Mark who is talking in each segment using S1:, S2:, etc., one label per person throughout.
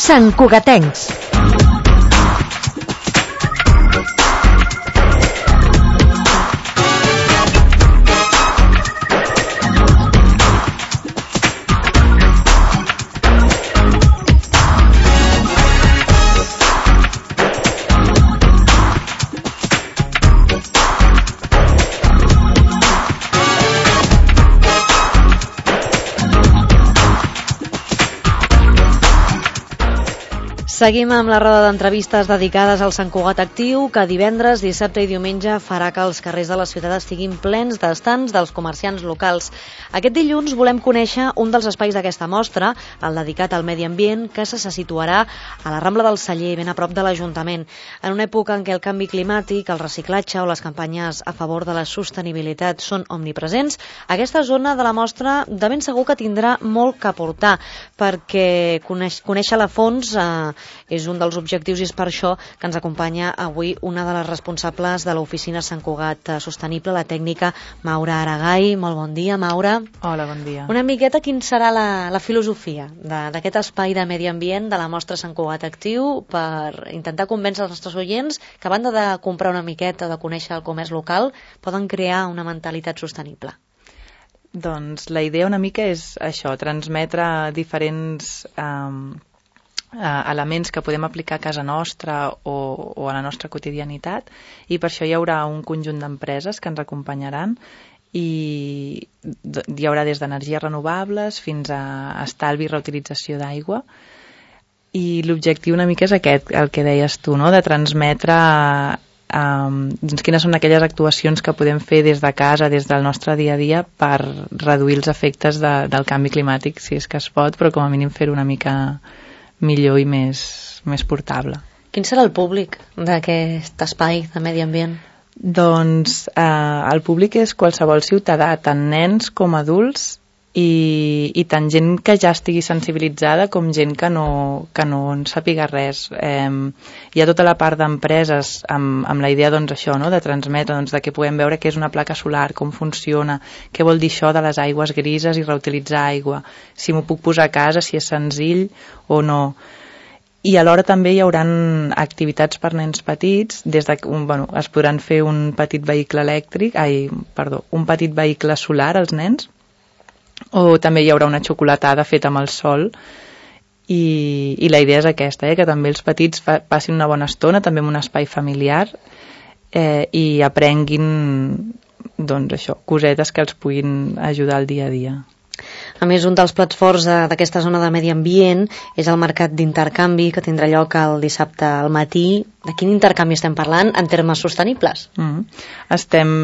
S1: Sant Cugatencs. Seguim amb la roda d'entrevistes dedicades al Sant Cugat Actiu, que divendres, dissabte i diumenge farà que els carrers de la ciutat estiguin plens d'estants dels comerciants locals. Aquest dilluns volem conèixer un dels espais d'aquesta mostra, el dedicat al medi ambient, que se situarà a la Rambla del Celler, ben a prop de l'Ajuntament. En una època en què el canvi climàtic, el reciclatge o les campanyes a favor de la sostenibilitat són omnipresents, aquesta zona de la mostra de ben segur que tindrà molt que aportar, perquè conèixer-la a fons és un dels objectius i és per això que ens acompanya avui una de les responsables de l'oficina Sant Cugat Sostenible, la tècnica Maura Aragai. Molt bon dia, Maura.
S2: Hola, bon dia.
S1: Una miqueta, quin serà la filosofia d'aquest espai de medi ambient de la mostra Sant Cugat Actiu per intentar convèncer els nostres oients que a banda de comprar una miqueta, de conèixer el comerç local, poden crear una mentalitat sostenible?
S2: Doncs la idea una mica és això, transmetre diferents elements que podem aplicar a casa nostra o a la nostra quotidianitat, i per això hi haurà un conjunt d'empreses que ens acompanyaran i hi haurà des d'energies renovables fins a estalvi i reutilització d'aigua, i l'objectiu una mica és aquest, el que deies tu, no? De transmetre quines són aquelles actuacions que podem fer des de casa, des del nostre dia a dia, per reduir els efectes del canvi climàtic, si és que es pot, però com a mínim fer una mica millor i més portable.
S1: Quin serà el públic d'aquest espai de medi ambient?
S2: Doncs el públic és qualsevol ciutadà, tant nens com adults, i tant gent que ja estigui sensibilitzada com gent que no en sàpiga res. Hi ha tota la part d'empreses amb la idea, doncs, això, no? De transmetre, doncs, de que puguem veure què és una placa solar, com funciona, què vol dir això de les aigües grises i reutilitzar aigua, si m'ho puc posar a casa, si és senzill o no. I alhora també hi haurà activitats per nens petits, es podran fer un petit vehicle un petit vehicle solar als nens, o també hi haurà una xocolatada feta amb el sol, i la idea és aquesta, que també els petits passin una bona estona, també en un espai familiar, i aprenguin, doncs això, cosetes que els puguin ajudar al dia a dia.
S1: A més, un dels plats forts d'aquesta zona de medi ambient és el mercat d'intercanvi que tindrà lloc el dissabte al matí. De quin intercanvi estem parlant en termes sostenibles?
S2: Estem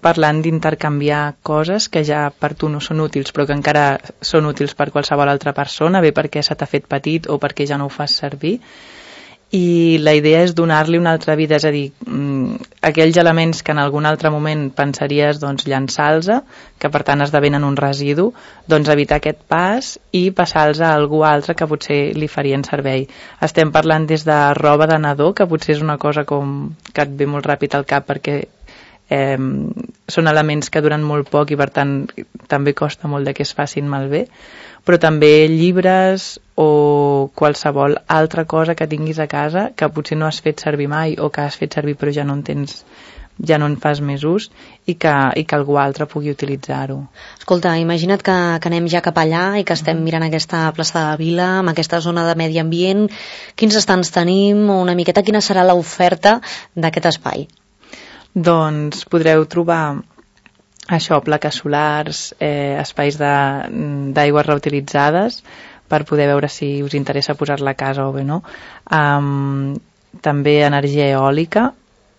S2: parlant d'intercanviar coses que ja per tu no són útils, però que encara són útils per qualsevol altra persona, bé perquè se t'ha fet petit o perquè ja no ho fas servir. I la idea és donar-li una altra vida, és a dir, aquells elements que en algun altre moment pensaries llançar-los, que per tant esdevenen un residu, doncs evitar aquest pas i passar-los a algú altre que potser li farien servei. Estem parlant des de roba de nadó, que potser és una cosa que et ve molt ràpid al cap perquè són elements que duren molt poc i per tant també costa molt que es facin malbé, però també llibres o qualsevol altra cosa que tinguis a casa que potser no has fet servir mai o que has fet servir però ja no en fas més ús i que algú altre pugui utilitzar-ho.
S1: Escolta, imagina't que anem ja cap allà i que estem mirant aquesta plaça de la Vila, amb aquesta zona de medi ambient. Quins estants tenim? Una miqueta quina serà l'oferta d'aquest espai?
S2: Doncs podreu trobar això, plaques solars, espais d'aigües reutilitzades per poder veure si us interessa posar-la a casa o bé no. També energia eòlica,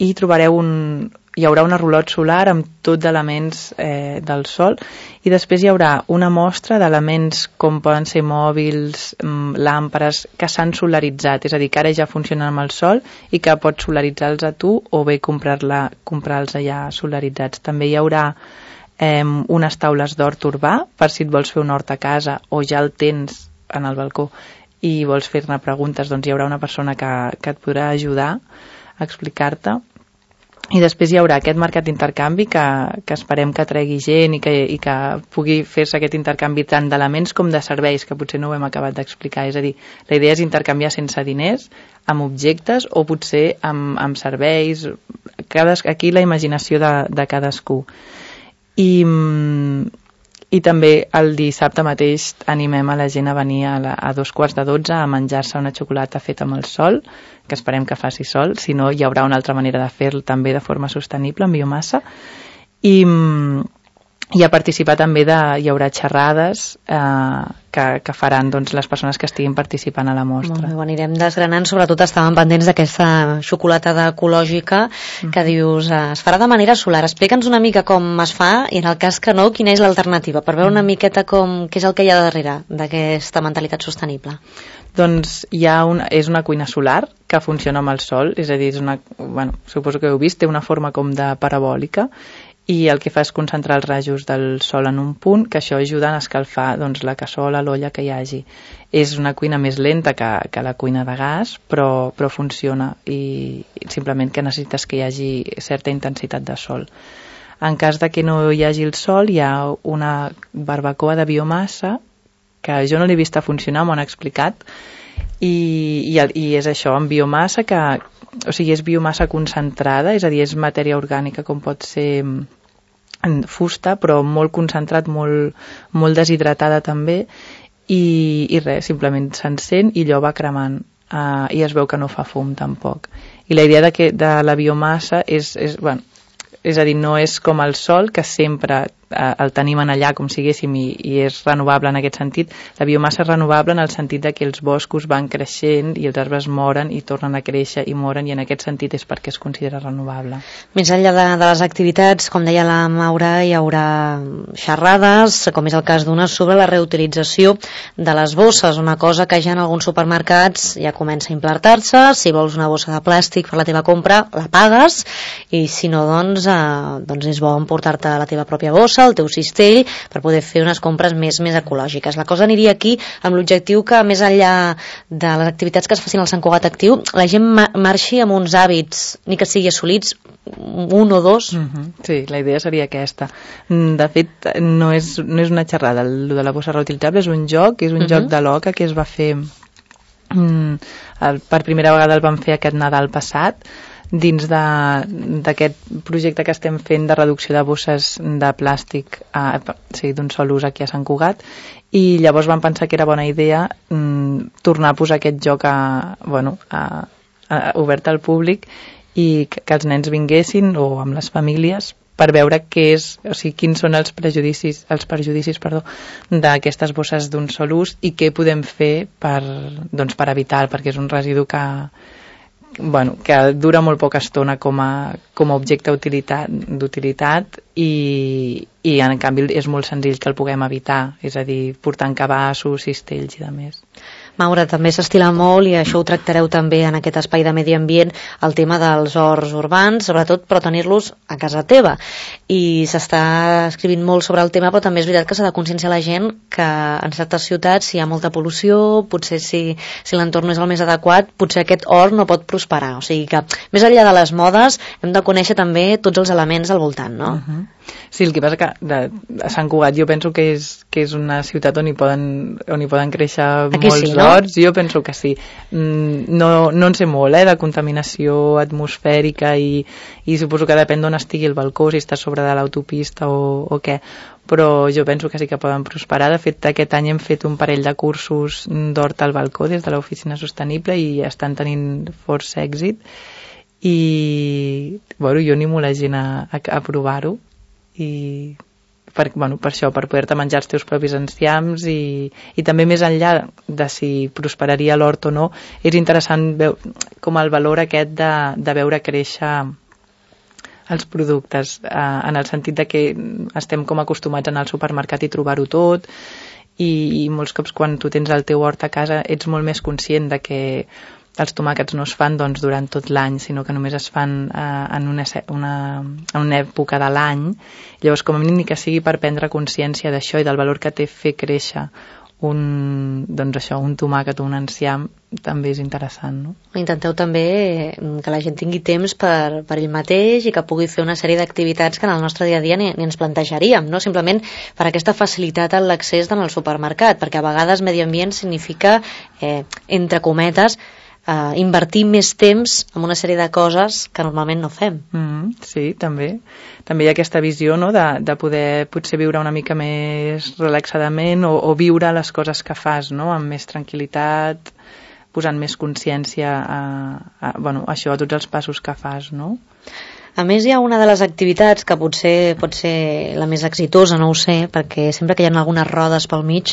S2: i hi haurà un rulot solar amb tots elements del sol, i després hi haurà una mostra d'elements com poden ser mòbils, làmpades que s'han solaritzat, és a dir, que ara ja funcionen amb el sol i que pots solaritzar-los a tu o bé comprar-los ja solaritzats. També hi haurà unes taules d'hort urbà per si et vols fer un hort a casa o ja el tens en el balcó i vols fer-ne preguntes, doncs hi haurà una persona que et podrà ajudar a explicar-te. I després hi haurà aquest mercat d'intercanvi que esperem que tregui gent i que pugui fer-se aquest intercanvi tant d'elements com de serveis, que potser no ho hem acabat d'explicar. És a dir, la idea és intercanviar sense diners, amb objectes o potser amb serveis. Aquí la imaginació de cadascú. I també el dissabte mateix animem a la gent a venir a 12:45 a menjar-se una xocolata feta amb el sol, que esperem que faci sol, si no hi haurà una altra manera de fer-lo també de forma sostenible, amb biomassa, i a participar també hi haurà xerrades que faran doncs, les persones que estiguin participant a la mostra.
S1: Molt bé, ho anirem desgranant, sobretot estàvem pendents d'aquesta xocolatada ecològica que dius, es farà de manera solar. Explica'ns una mica com es fa i en el cas que no, quina és l'alternativa, per veure una miqueta què és el que hi ha darrere d'aquesta mentalitat sostenible.
S2: Doncs és una cuina solar que funciona amb el sol, és a dir, suposo que heu vist, té una forma com de parabòlica, i el que fa és concentrar els rajos del sol en un punt, que això ajuda a escalfar doncs, la cassola, l'olla que hi hagi. És una cuina més lenta que la cuina de gas, però funciona, i simplement que necessites que hi hagi certa intensitat de sol. En cas de que no hi hagi el sol, hi ha una barbacoa de biomassa, que jo no l'he vist a funcionar, m'ho han explicat, i és això, amb biomassa és biomassa concentrada, és a dir, és matèria orgànica com pot ser fusta, però molt concentrat, molt deshidratada també, i res, simplement s'encén i allò va cremant, i es veu que no fa fum tampoc. I la idea de la biomassa és a dir, no és com el sol, que sempre el tenim en allà com siguéssim i és renovable en aquest sentit. La biomassa és renovable en el sentit que els boscos van creixent i els arbres moren i tornen a créixer i moren, i en aquest sentit és perquè es considera renovable.
S1: Més enllà de les activitats, com deia la Maura, hi haurà xerrades, com és el cas d'una, sobre la reutilització de les bosses, una cosa que ja en alguns supermercats ja comença a implantar-se. Si vols una bossa de plàstic per la teva compra, la pagues, i si no, doncs és bo emportar-te la teva pròpia bossa, el teu cistell, per poder fer unes compres més ecològiques. La cosa aniria aquí amb l'objectiu que, més enllà de les activitats que es facin al Sant Cugat Actiu, la gent marxi amb uns hàbits, ni que sigui assolits, un o dos.
S2: Sí, la idea seria aquesta. De fet, no és una xerrada, el de la bossa reutilitzable és un joc, joc de l'oca que es va fer per primera vegada, el vam fer aquest Nadal passat, dins d'aquest projecte que estem fent de reducció de bosses de plàstic d'un sol ús aquí a Sant Cugat, i llavors vam pensar que era bona idea tornar a posar aquest joc obert al públic, i que els nens vinguessin, o amb les famílies, per veure quins són els perjudicis d'aquestes bosses d'un sol ús i què podem fer per evitar, perquè és un residu que dura molt poca estona com a objecte d'utilitat, i en canvi és molt senzill que el puguem evitar, és a dir, portant cabassos, cistells i de més.
S1: Maura, també s'estila molt, i això ho tractareu també en aquest espai de medi ambient, el tema dels horts urbans, sobretot, però tenir-los a casa teva. I s'està escrivint molt sobre el tema, però també és veritat que s'ha de conscienciar la gent que en certes ciutats hi ha molta pol·lució, potser si l'entorn no és el més adequat, potser aquest hort no pot prosperar. O sigui que, més enllà de les modes, hem de conèixer també tots els elements al voltant, no?
S2: Sí, el que passa que a Sant Cugat jo penso que és una ciutat on hi poden créixer molts horts, jo penso que sí. No en sé molt de contaminació atmosfèrica, i suposo que depèn d'on estigui el balcó, si està sobre de l'autopista o què, però jo penso que sí que poden prosperar. De fet, aquest any hem fet un parell de cursos d'hort al balcó des de l'Oficina Sostenible i estan tenint força èxit, i jo animo la gent a provar-ho, i per això, per poder-te menjar els teus propis enciams, i també més enllà de si prosperaria l'hort o no, és interessant com el valor aquest de veure créixer els productes, en el sentit de que estem com acostumats a anar al supermercat i trobar-ho tot, i molts cops quan tu tens el teu hort a casa ets molt més conscient de que els tomàquets no es fan durant tot l'any, sinó que només es fan en una època de l'any. Llavors, com a mínim, ni que sigui per prendre consciència d'això i del valor que té fer créixer un tomàquet o un enciam també és interessant, no?
S1: Intenteu també que la gent tingui temps per ell mateix i que pugui fer una sèrie d'activitats que en el nostre dia a dia ni ens plantejaríem, no? Simplement per aquesta facilitat en l'accés en el supermercat, perquè a vegades medi ambient significa, entre cometes, invertir més temps en una sèrie de coses que normalment no fem.
S2: Sí, també hi ha aquesta visió, no?, de poder potser viure una mica més relaxadament o viure les coses que fas, no?, amb més tranquil·litat, posant més consciència a tots els passos que fas, no?
S1: A més, hi ha una de les activitats que potser pot ser la més exitosa, no ho sé, perquè sempre que hi ha algunes rodes pel mig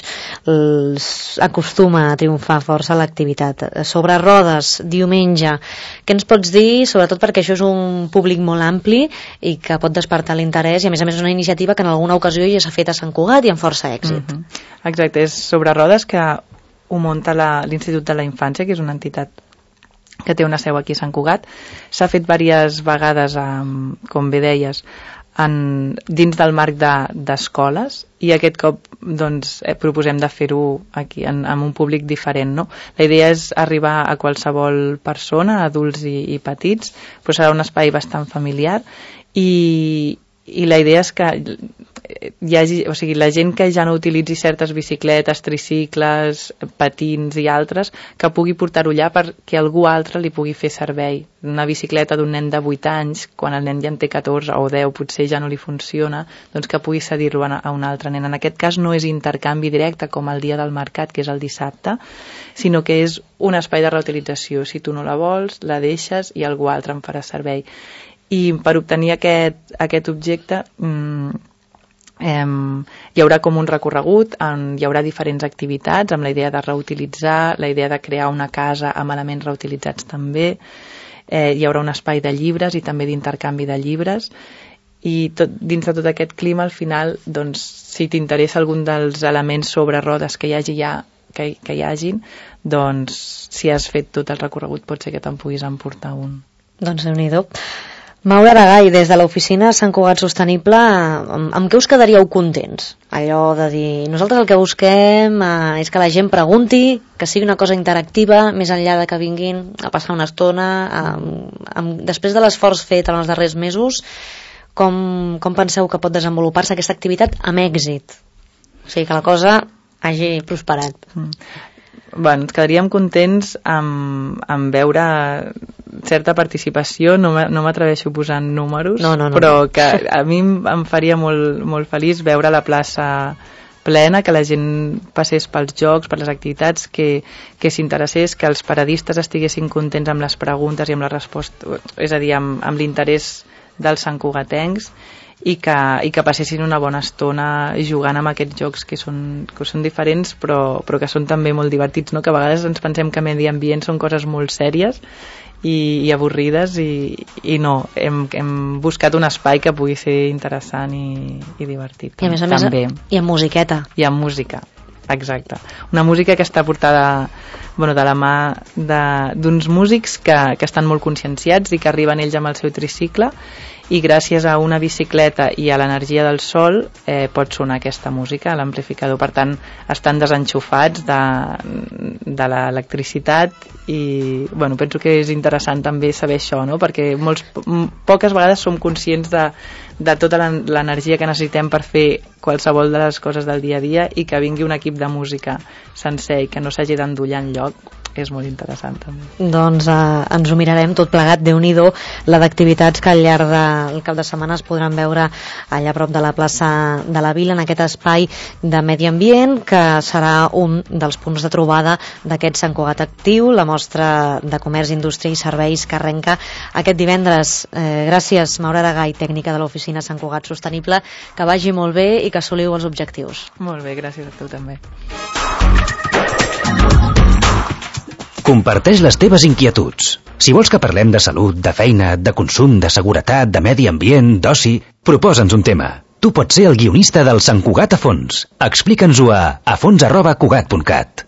S1: acostuma a triomfar força l'activitat. Sobre rodes, diumenge, què ens pots dir, sobretot perquè això és un públic molt ampli i que pot despertar l'interès i a més és una iniciativa que en alguna ocasió ja s'ha fet a Sant Cugat i amb força èxit.
S2: Exacte, és sobre rodes que ho munta l'Institut de la Infància, que és una entitat que té una seu aquí a Sant Cugat. S'ha fet diverses vegades, com bé deies, dins del marc d'escoles i aquest cop proposem de fer-ho aquí amb un públic diferent, no? La idea és arribar a qualsevol persona, adults i petits, però serà un espai bastant familiar i la idea és que hi hagi, o sigui, la gent que ja no utilitzi certes bicicletes, tricicles, patins i altres, que pugui portar-ho allà perquè algú altre li pugui fer servei. Una bicicleta d'un nen de 8 anys, quan el nen ja en té 14 o 10, potser ja no li funciona, doncs que pugui cedir-lo a un altre nen. En aquest cas no és intercanvi directe com el dia del mercat, que és el dissabte, sinó que és un espai de reutilització. Si tu no la vols, la deixes i algú altre en farà servei. I per obtenir aquest objecte hi haurà com un recorregut, hi haurà diferents activitats amb la idea de reutilitzar, la idea de crear una casa amb elements reutilitzats també, hi haurà un espai de llibres i també d'intercanvi de llibres i dins de tot aquest clima al final, doncs, si t'interessa algun dels elements sobre rodes que hi hagin, doncs si has fet tot el recorregut pot ser que te'n puguis emportar un.
S1: Doncs Déu-n'hi-do. Maura Aragay, des de l'oficina Sant Cugat Sostenible, amb què us quedaríeu contents? Allò de dir, nosaltres el que busquem és que la gent pregunti, que sigui una cosa interactiva, més enllà de que vinguin a passar una estona. Després de l'esforç fet en els darrers mesos, com penseu que pot desenvolupar-se aquesta activitat amb èxit? O sigui, que la cosa hagi prosperat.
S2: Ens quedaríem contents amb veure certa participació, no m'atreveixo posant números, però que a mi em faria molt, molt feliç veure la plaça plena, que la gent passés pels jocs, per les activitats, que s'interessés, que els paradistes estiguessin contents amb les preguntes i amb la resposta, és a dir, amb l'interès dels santcugatencs, i que passessin una bona estona jugant amb aquests jocs que són diferents però que són també molt divertits, no? Que a vegades ens pensem que medi ambient són coses molt sèries i avorrides i no, hem buscat un espai que pugui ser interessant i divertit.
S1: I a més també. I amb musiqueta.
S2: I amb música, exacte. Una música que està portada de la mà d'uns músics que estan molt conscienciats i que arriben ells amb el seu tricicle i gràcies a una bicicleta i a l'energia del sol pot sonar aquesta música a l'amplificador. Per tant, estan desenxufats de l'electricitat i penso que és interessant també saber això, no? Perquè poques vegades som conscients de tota l'energia que necessitem per fer qualsevol de les coses del dia a dia i que vingui un equip de música sencer i que no s'hagi d'endollar enlloc és molt interessant també.
S1: Doncs ens ho mirarem tot plegat, Déu-n'hi-do, la d'activitats que al llarg del cap de setmana es podran veure allà a prop de la plaça de la Vila, en aquest espai de medi ambient, que serà un dels punts de trobada d'aquest Sant Cugat Actiu, la mostra de comerç, indústria i serveis que arrenca aquest divendres. Gràcies, Maura Aragay, tècnica de l'oficina Sant Cugat Sostenible, que vagi molt bé i que assoliu els objectius.
S2: Molt bé, gràcies a tu també.
S3: Comparteix les teves inquietuds. Si vols que parlem de salut, de feina, de consum, de seguretat, de medi ambient, d'oci, proposa'ns un tema. Tu pots ser el guionista del Sant Cugat a fons. Explica'ns-ho a fons@cugat.cat.